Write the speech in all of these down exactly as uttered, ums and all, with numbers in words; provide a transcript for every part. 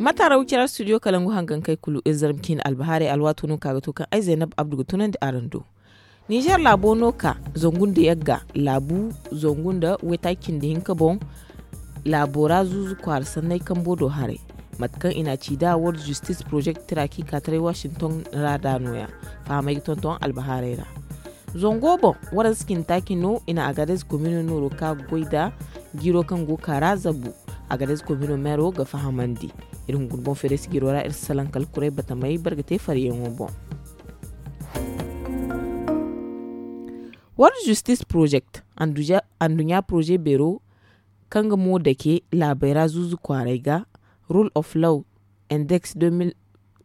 Mataara wicira studio kalangu hangankey kulu iri zarma ciine albahaarey alwaato no ka ga to kaŋ ay zaynab abdu ga tunandi araŋ do. Ninzeer laabo no ka zangu nda yagga laabu zangu nda waytaaci cindi hinka boŋ. Laabo ra zuuzu kwaara sanney kambo do haray, mate kaŋ i n'a ci nd'a world justice project tira kaŋ i ka taray washington ra nd'a nooya. Fahamey ga tonton albahaarey ra. Zango boŋ, waransa cindi taaci no i na agadez komino nooro kaŋ a ga goy nd'a jiiro kaŋ go ga ka ra zabu. Agadez komino meero ga fahamandi. Iri hunkuna boŋ feerey sijiro ra iri si salaŋ kala kuray batamey barga te fariyaŋo boŋ. World justice project, anduɲɲa poroze beero kaŋ ga mo dake laabey ra zuuzu kwaaray ga, rule of law index deux mille,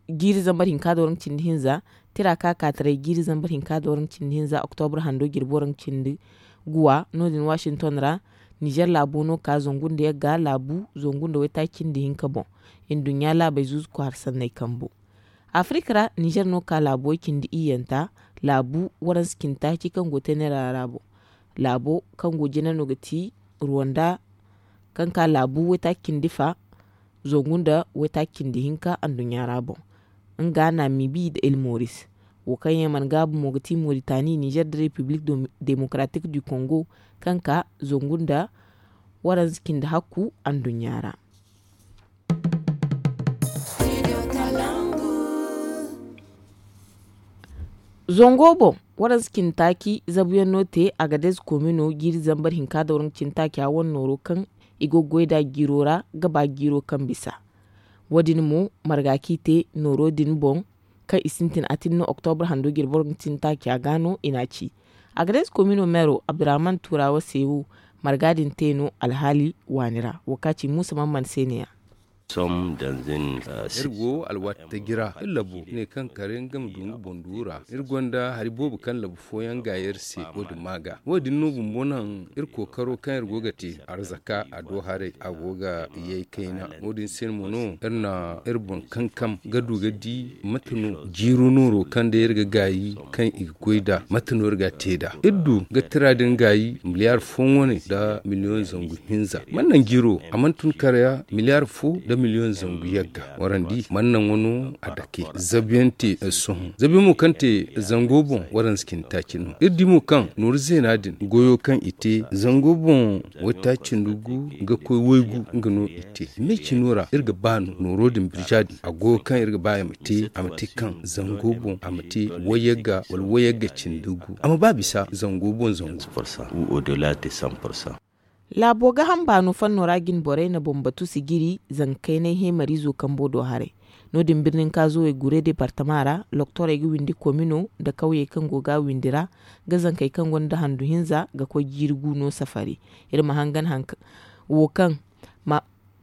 jiiri zambar hinka da waranka cindi hinza, tira kaŋ a ka taray jiiri zambar hinka da waranka cindi hinza oktobra hando jirbi waranka cindi guwa no- din washington ra. Ninzeer laabo no ka zangu nda yagga laabu zangu nda waytaaci cindi hinka boŋ. Nduɲɲa laabey zuuzu kwaara sanney kambo. Afirka ra, ninzeer no ka laabo way cindi iyyanta, laabu waransa cindi taaci kaŋ go teenera ra boŋ. Laabo kaŋ go jina no ga ti ruwanda, kaŋ ka laabu waytaaci cindi fa zangu nda waytaaci cindi hinka anduɲɲa ra boŋ. Nga namibi nda ilmoris, wo kaŋ yaŋ mana gaabu mo ga ti moritani ninzeer nda repiblik demokaratik du kongo, kaŋ ka zangu nda waransa cindi hakku anduɲɲa ra. Zango boŋ, waransa cindi taaci zabuyaŋ no te agadez komino jiiri zambar hinka da waranka cindi taaca wane nooro kaŋ i go ga goy nd'a jiiro ra ga ba jiiro kaŋ bisa. Wo- din mo marga kaŋ i te nooro din boŋ, kaŋ i sintin atinno oktobra hando jirbi waranka cindi taaca ga no i n'a ci. Agadez komino meero abdurrahman turawa se wo, marga din te no alhaali waani ra wo kaŋ a ci muusa mamman se ne- ya. Iri go alwaati taji ra iri labu ne kaŋ kare nga ma du nga boŋ duura iri gonda hari boobo kaŋ labu fooyaŋ ga yer se. Wo- din ma ga wo- din no bumbo naŋ iri kookaro kaŋ iri go ga te arzaka a do haray a go ga yay kayna. Wo- din se mo no iri na iri boŋ kankam ga du ga di mate no jiiro nooro kaŋ day iri ga gaayi kaŋ i ga goy nd'a mate no iri ga a te nd'a. Iri du ga tira din gaayi miliyaar fo wane nda miliyoŋ zangu hinza man naŋ jiiro a mana tun kara miliyaar fo nda miliyoŋ zangu yagga warandi man naŋ wano a dake zabiyaŋ te sohõ zabiyaŋ mo kaŋ te zango boŋ waransa cindi taaci no iri di mo kaŋ nooru zeena din goyo kaŋ i te zango boŋ waytaaci nda gu ga koy waygu nga no i te me cino ra iri ga ba no nooro din birja din a go kaŋ iri ga ba i ma te a ma te kaŋ zango boŋ a ma te wayagga wala wayagga cindi gu a ma ba bisa zango boŋ zango. Laabo ga hamba no fanno ra jine borey na boŋ batu sijiri zanka kaynay heemarizo kambo do haray. No- din birnin kaazowey gure departama ra loktorey ga windi komino nda kawyey kaŋ go ga a windi ra ga zankey kaŋ gonda handu hinza ga koy jiiri gu no safari. Iri ma hangan hanka wo kaŋ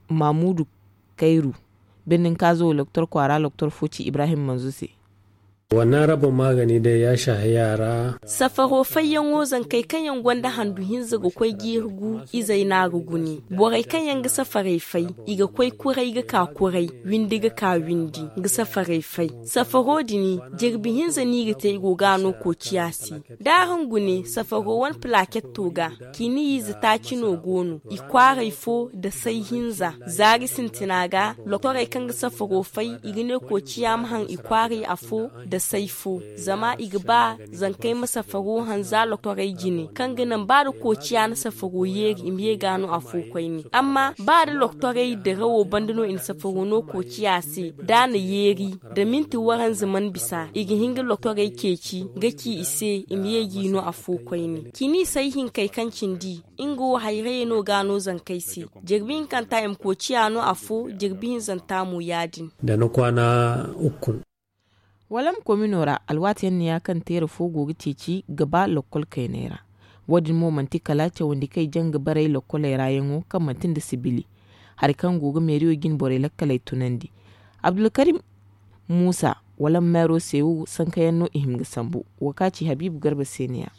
mamudu kayru birnin kaazo loktor kwaara loktor fo ci ibrahim manzo se. Wanna rabo magani day ya shahi yara. Safaro fayyaŋo zankey kaŋ yaŋ gonda handu hinza ga koy jiiri gu izey no a ga gune. Borey kaŋ yaŋ ga safarey fay i ga koy kuray ga ka kuray windi ga ka windi ga safarey fay. Safaro din jirbi hinza no i ga te i go ga a no koociya se. Da araŋ gune safaro wane pilaketto ga, ciiniyiize taaci no go no i kwaaray fo nda say hinza. Zaari sintina ga loktorey kaŋ ga safaro fay i ga ne koociya ma haŋ i kwaaray afo nda say fo. Zama i ga ba zankey ma safaro haŋ za loktorey jine kaŋ ga naŋ ba da koociya na safaro yeeri i ma ye ga no afo koyne. Amma ba da loktorey dirawo banda no i na safaro no koociya se da a na yeeri da minti waranza mana bisa i ga hin ga loktorey ceeci ga ci i se i ma ye g'i no afo koyne. Ciini say hinkey kaŋ cindi nga wo hayrayey no ga a no zankey se. Jirbi hinkanta i ma koociya no afo jirbi hinzanta mo ya- din. Da ni kwaana ukkun. Walam komino ra alwaati yaŋ no ya kaŋ teera fo go ga ceeci ga ba lokkol kayney ra. Wo- din mo manti kala cawandi kaŋ i jaŋ ga baray lokkoley ra yaŋo kaŋ manti nda sibili hari kaŋ go ga meeriyo jine borey lakkaley tunandi. Abdulkarim muusa walam meero se wo sanka yaŋ no i hima ga sambu. Wo kaŋ a ci habiibu garba se no- ya.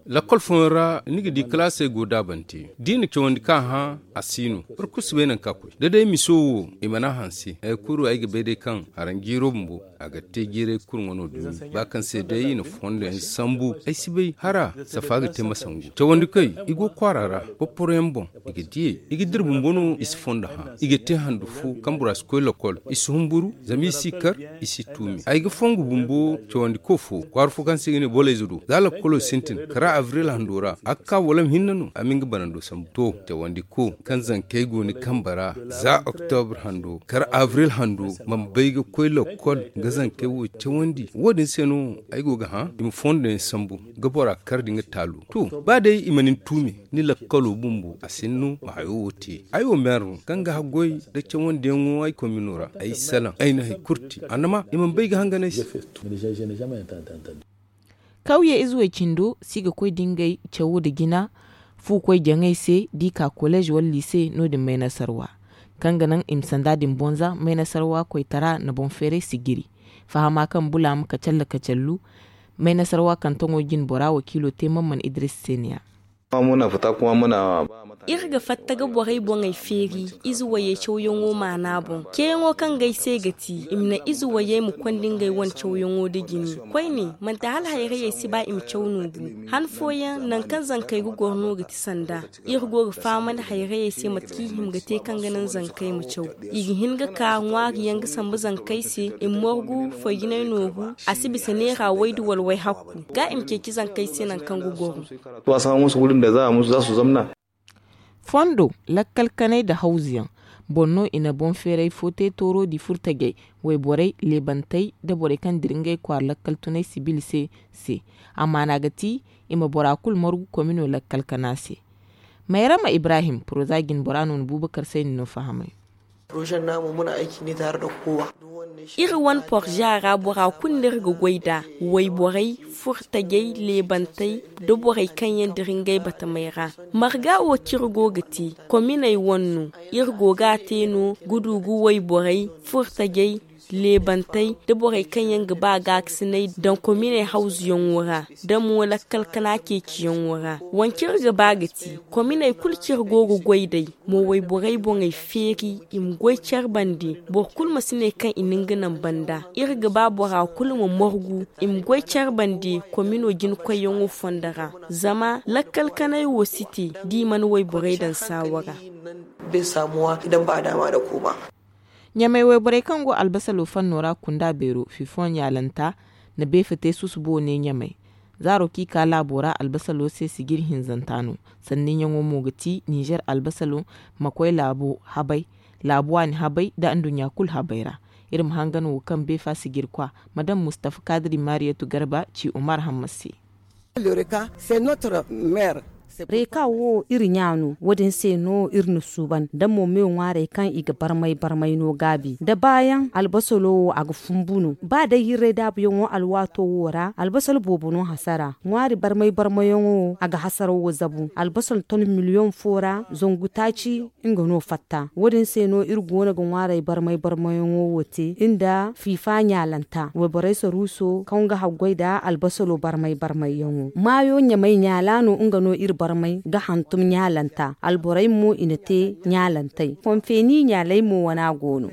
Lakol fooyaŋ ra ni ga di kalaasey go daabante da i na cawandi kaŋ a hã a si no. Boro kulu si bay nangu kaŋ a koy da day miso wo i mana a hanse. Hari kulu ay ga bay day kaŋ haranjiiro bumbo a ga te jiiray kulu ŋwano dumi ba kaŋ se day i na fondo yaŋ sambu. Ay si bay hara safa ga te masangu cawandi koy i go kwaara ra boporoyaŋ boŋ. I ga diyey i ga dira bumbo no i si fondo hã i ga te handu fo kaŋ bora si koy lokol. I si humburu zama i si kar i si tuumi ay ga fongu bumbo cawandi ko fo kwaara fo kaŋ se i ga ne boleyze do za lokolo sintin kara abril hando ra a ga ka walam hinne no a ma nga banando sambu to cawandi ko kaŋ zankey go ni kambe ra za oktobre hando kara abril hando mana bay ga koy lokol ga zankey wo cawandi wo- din se no ay go ga hã i ma fondo yaŋ sambu ga bora kar da nga taalo to ba day i mana ni tuumi ni lakkalo bumbo a sinno ma hayo wo te ay wo meero kaŋ ga haggoy da cawandiyaŋo ay komino ra ay salaŋ ay na hari kulu te annama i mana bay ga hangan ay se. Kawye ize way cindo si ga koy da ngey cawo nda jina fu koy jaŋay se da i ka koleez wala liise no- din maynasarwa kaŋ ga naŋ i ma sanda din bonza maynasarwa koytara na boŋ feeray si jiri fahama kaŋ bulaama kacalla kacallu maynasarwa kaŋ taŋo jine bora wakiilo te man man idris se ne ya. Iri ga fatta ga borey boŋey feeri ize wayey cawyaŋo maana boŋ ceeyaŋo kaŋ ga ay se ga ti i ma naŋ ize wayey ma konda ngey wane cawyaŋo nda jine koyne manti hala hayrayey si ba i ma caw no bu han fooyaŋ nangu kaŋ zankey ga goro no ga ti sanda iri go ga fahamandi hayrayey se mate kaŋ i hima ga te kaŋ ga naŋ zankey ma caw i ga hin ga ka ŋwaari yaŋ ga sambu zankey se i ma morgu foy jinay nooru a si bisa neera waydu wala wayhakku ga i ma ceeci zankey se nangu kaŋ ga goro. Fondo lakkal kanay nda hawzuyaŋ boŋ no i na boŋ feeray fo te tooro di furtajey wayborey leebantey nda borey kaŋ dira ngey kwaara lakkal tunay sibil se se a maana ga ti i ma bora kulu margu komino lakkal kana se. Mayrama ibrahim poroza jinbora no na buubakar sayni no fahamay. Iri wane porza ra bora kulu no iri ga goy nd'a wayborey furtajey leebantey nda borey kaŋ yaŋ dira ngey batamey ra. Marga wo kaŋ iri go ga te kominey wane no iri go ga a te no ga du ga wayborey furtajey leebantey nda borey kaŋ yaŋ ga ba gaakasinay daŋ kominey hawzuyaŋo ra nda mo lakkal kana ceeciyaŋo ra. Wance iri ga ba ga ti kominey kulu kaŋ iri go ga goy nd'ey mo wayborey boŋey feeri i ma goy care bande boro kulu ma si ne kaŋ i na nga naŋ banda iri ga ba bora kulu ma margu i ma goy care bande komino jina koyyaŋo fondo ra. Zama lakkal kanay wo si te da i mana wayborey daŋ saawa ra. Ɲamey wayborey kaŋ go albasalo fanno ra kunda beero fifoŋ ɲaalanta na beefa te susubo ne ɲamey. Zaaro kaŋ i ka laabo ra albasalo se sijiri hinzanta no. Sanniyaŋo mo ga ti ninzeer albasalo ma koy laabo habay laabu waani habay nda anduɲɲa kulu habay ra. Iri ma hangan wo kaŋ beefa sijirkwa madam mustafa kaadiri mariyatu garba ci umar hamma se. Reeka wo iri ɲa no wo- din se no iri na suuban da mo me ŋwaarey kaŋ i ga barmay barmay no gaabi da baayaŋ albasalo wo a ga fumbu no ba day hirray daabuyaŋo alwaato wo ra albasalo boobo no hasara ŋwaari barmay barmayaŋo wo a ga hasara wo zabu albasalo ton miliyoŋ fo ra zangu taaci nga no fatta wo- din se no iri go no ga ŋwaarey barmay barmayaŋo wo te nda fiifa ɲaalanta wayborey saruuso kaŋ ga haggoy nda albasalo barmay barmayyaŋo maayo ɲamay ɲaala no nga no iri barmay ga hantum ɲaalanta alborey mo i na te ɲaalantey konfeeni ɲaaley mo wana go no.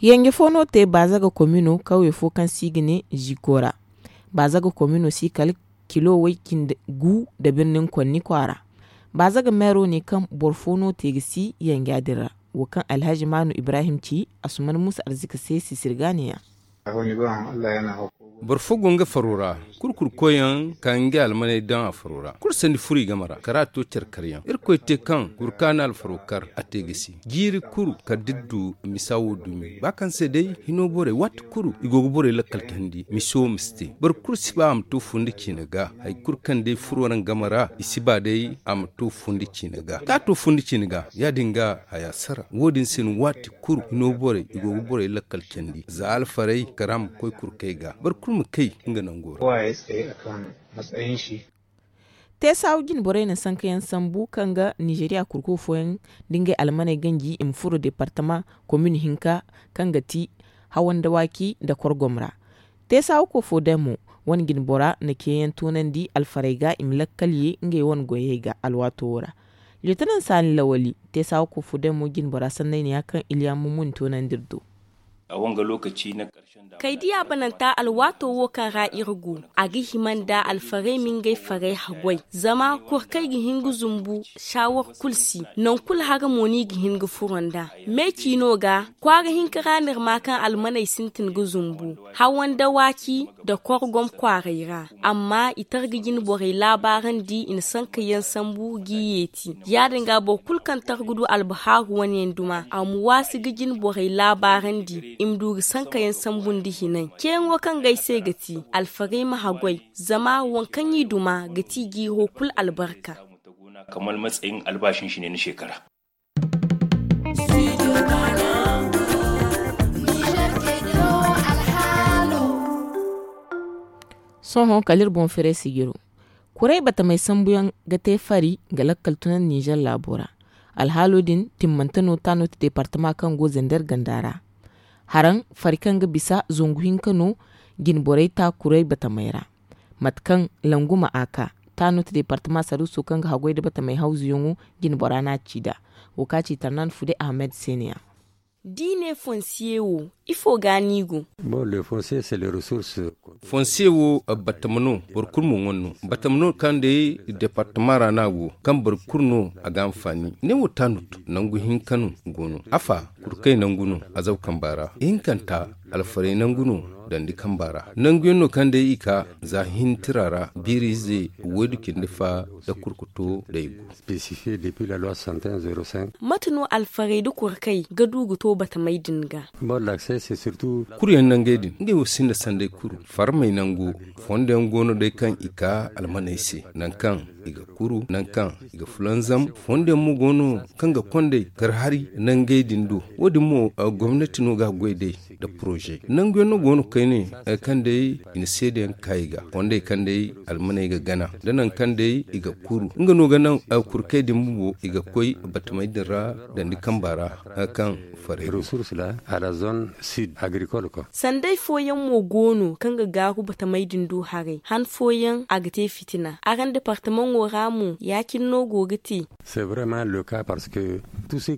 Yanje fo no te baazaga komino kawye fo kaŋ se i ga ne ziko ra. Baazaga komino si kala kilo way cindi gu nda birnin konni kwaara. Baazaga meero ne kaŋ boro fo no te ga si yanja din ra. Wo kaŋ alhazi maanu ibrahim ci asuman muusa arzika se sisirga ne- ya. Boro fo go nga faro ra kurkuru koyyaŋ ka nga almaney daŋ a faro ra kulu sandi furo i game ra kara to care karyaŋ irkoy te kaŋ kuru ka na alfaro kar a te ga si jiiri kulu kala da iri du misa wo dumi ba kaŋ se day hino borey waati kulu i go ga borey lakkal tandi miso ma si te boro kulu si ba a ma to fo nda ciina ga hari kulu kaŋ day furo ra nga game ra i si ba day a ma to fo nda ciina ga da a to fo nda ciina ga ya- din ga haya sara wo- din se no waati kulu hino borey i go ga borey lakkal candi za alfarey kara ma koy kurkey ga boro kulu ma kay nga nango ra. Teesaawu jine borey na sanka yaŋ sambu kaŋ ga nizeeriya kurko fooyaŋ da ngey almaney ganji i ma furo deepartama komin hinka kaŋ ga ti hawan dawaaki nda korgom ra. Teesaawu kofo day mo wane jine bora na ceeyaŋ toonandi alfarey ga i ma lakkal ye ngey wane goyey ga alwaato wo ra. Liyotanan saani lawali teesaawu kofo day mo jine bora sannayniya kaŋ iliya mummuni toonandi iri do. Kaydiya bananta alwaato wo kaŋ ra iri go, a ga hima nda alfarey ma ngey farey haggoy zama kor kaŋ ay ga hin ga zumbu saawar kulu si. Nangu kulu hara mo no i ga hin ga furo nd'a. Me ciino ga kwaara hinka ra no iri ma kaŋ almaney sintin ga zumbu hawan dawaaki nda korgom kwaaray ra. Amma i targa jine borey laabaarandi i na sanka yaŋ sambu g'i yeeti. Ya- din ga boro kulu kaŋ targa du albahaaru wane yaŋ duma a ma waasi ga jine borey laabaarandi i ma du ga sanka yaŋ sambu nda hinay. Ceeyaŋo kaŋ ga ay se ga ti alfarey ma haggoy zama waŋ kaŋ i duma ga ti jiiro kulu albarka. Sohõ kala iri boŋ fere sijiro. Kuray batamey sambuyaŋ ga te fari ga lakkal tunandi ninzeer laabo ra. Alhaalo din timmante no taanoti deepartama kaŋ go zender ganda ra. Haraŋ fari kaŋ ga bisa zangu hinka no jine borey ta kuray batamey ra. Mate kaŋ langu ma a ka taanoti deepartama saruuso kaŋ ga haggoy nda batamey hawzuyaŋo jine bora no a ci nd'a. Wo kaŋ a ci tarnaan fude ahmed se ne- ya. Diine fonsiye wo ifo ga no i go? Fonsiye wo batama no boro kulu ma ŋwa no. Batama no kaŋ day deepartama ra no a go kaŋ boro kulu no a ga hanfaani ne wo taanut nangu hinka no go no. Afa kurkay nangu no azaw kamba ra ihinkanta alfarey nangu no dandi kamba ra. Nangu yaŋ no kaŋ day i ka za hintira ra biiriize woydu cindi fa nda kurkuto day go. Mate no alfarey nda kurkey ga du ga to batamey din ga? Kuryaŋ nangey din ngey wo sinda sanday kuru farmey nango. Fondo yaŋ go no day kaŋ i ka almaney se nangu kaŋ i ga kuru nangu kaŋ i ga fulanzam. Fondo yaŋ mo go no kaŋ ga kondey karhari nangey din do. Wo- din mo gomnati no ga a goy day nda poroze nangu yaŋ no go no kayne kaŋ day i na seedeyaŋ kaayi ga kondey kaŋ day almaney ga gana nda nangu kaŋ day i ga kuru nga no ga naŋ kurkey din bumbo i ga koy batamey din ra dandi kamba ra. Nangu kaŋ faray go. Sanday fooyaŋ mo go no kaŋ ga gaaru batamey din du haray han fooyaŋ a ga te fitina araŋ departamaŋo ra mo ya- cine no go ga te?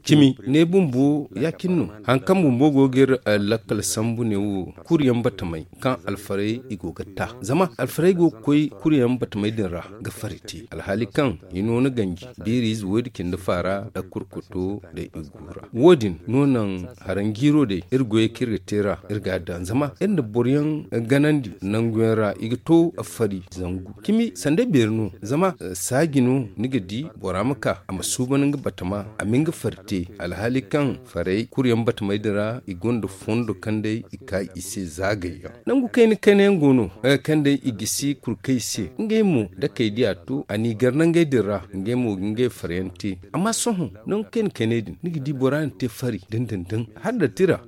Cimi ne bumbo ya- cine no. Hari kaŋ bumbo go ga iri lakkal sambu ne wo kuryaŋ batamey kaŋ alfarey i go ga ta zama alfarey go ga koy kuryaŋ batamey din ra ga fari te alhaali kaŋ i no ni ganji biiriize woydi cindi faara nda kurkuto nda i gu ra. Wo- din no naŋ haranjiiro day iri goyey kaŋ iri ga te ra iri ga a daŋ zama iri na boroyaŋ ganandi nanguyaŋ ra i ga to fari zangu cimi sanda beeri no. Zama saaji no ni ga di bora ma ka a ma suuban nga batama a ma nga fari te alhaali kaŋ faray kuryaŋ batamey din ra i gonda fondo kaŋ day i ka i se zaagayyaŋ. Nangu kayna kayna yaŋ go no kaŋ day i gisi kurkey se ngey mo da kay diya to a n'i gar nangey din ra ngey mo ga ngey farayaŋ te. Amma sohõ nangu kayna kayney din ni ga di bora na te fari dindindin hala da tira.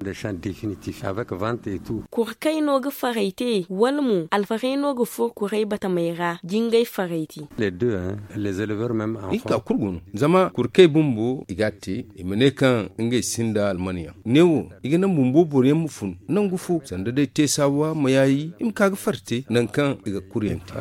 Kurkey no ga faray te wala mo alfarey no ga furo kuray batamey ra ga ngey faray te? Ihinka kulu go no zama kurkey bumbo i ga a te i ma ne kaŋ ngey sinda almanyaŋ ne wo i ga naŋ bumbo boroyaŋ ma fun nangu fo sanda day te saawa ma yaayi i ma ka ga fari te nangu kaŋ i ga kuryaŋ te.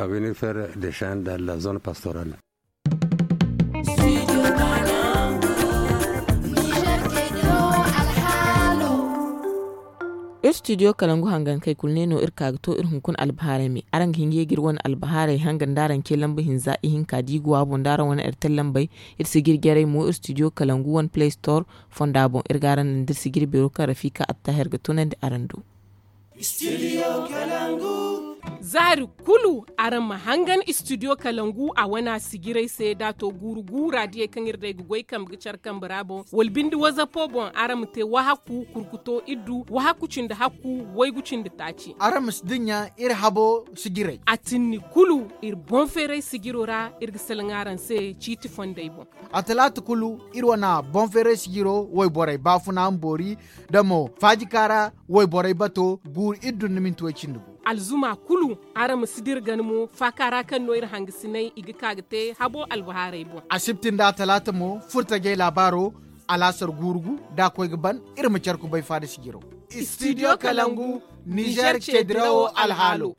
Iri studio kalangu hangan kay kulu ne no iri ka ga to iri hunkuna albahaarey me araŋ ga hin ga ye ga iri wane albahaarey hangan da araŋ ce lamba hinza ihinka da i go a boŋ da araŋ wane airtel lambey. Iri si ga iri jarey mo iri studio kalangu wane play store fonda boŋ iri ga araŋ naŋ da iri si ga iri beero kaŋ rafika attahir ga tunandi araŋ do. Zaari kulu araŋ ma hangan studio kalangu a wana sijiray se da a to guuru guura diyey kaŋ iri day ga goy kambe ga care kambe ra boŋ wala binde wazapo boŋ araŋ ma te wahaku kurkuto iddu wahaku cindi hakku waygu cindi taaci. Araŋ ma si dinya iri habo sijiray. A tinni kulu iri boŋ feeray sijiro ra iri ga salaŋ araŋ se ciiti fondey boŋ. A talaata kulu iri wana boŋ feeray sijiro wayborey baafuna ma boori da mo faajika ra wayborey bato guuru iddu nda minti way cindi gu. alzuma kulu. Araŋ ma si dira gana mo faaka ra kaŋ no iri hangasinay i ga ka ga te habo albahaarey boŋ. Asibti nda talaata mo furtajey laabaaro. Alaasar guurugu da a koy ga ban iri ma care kubay faada sijiro. Studio kalangu, nizer ce dirawo alhaalo.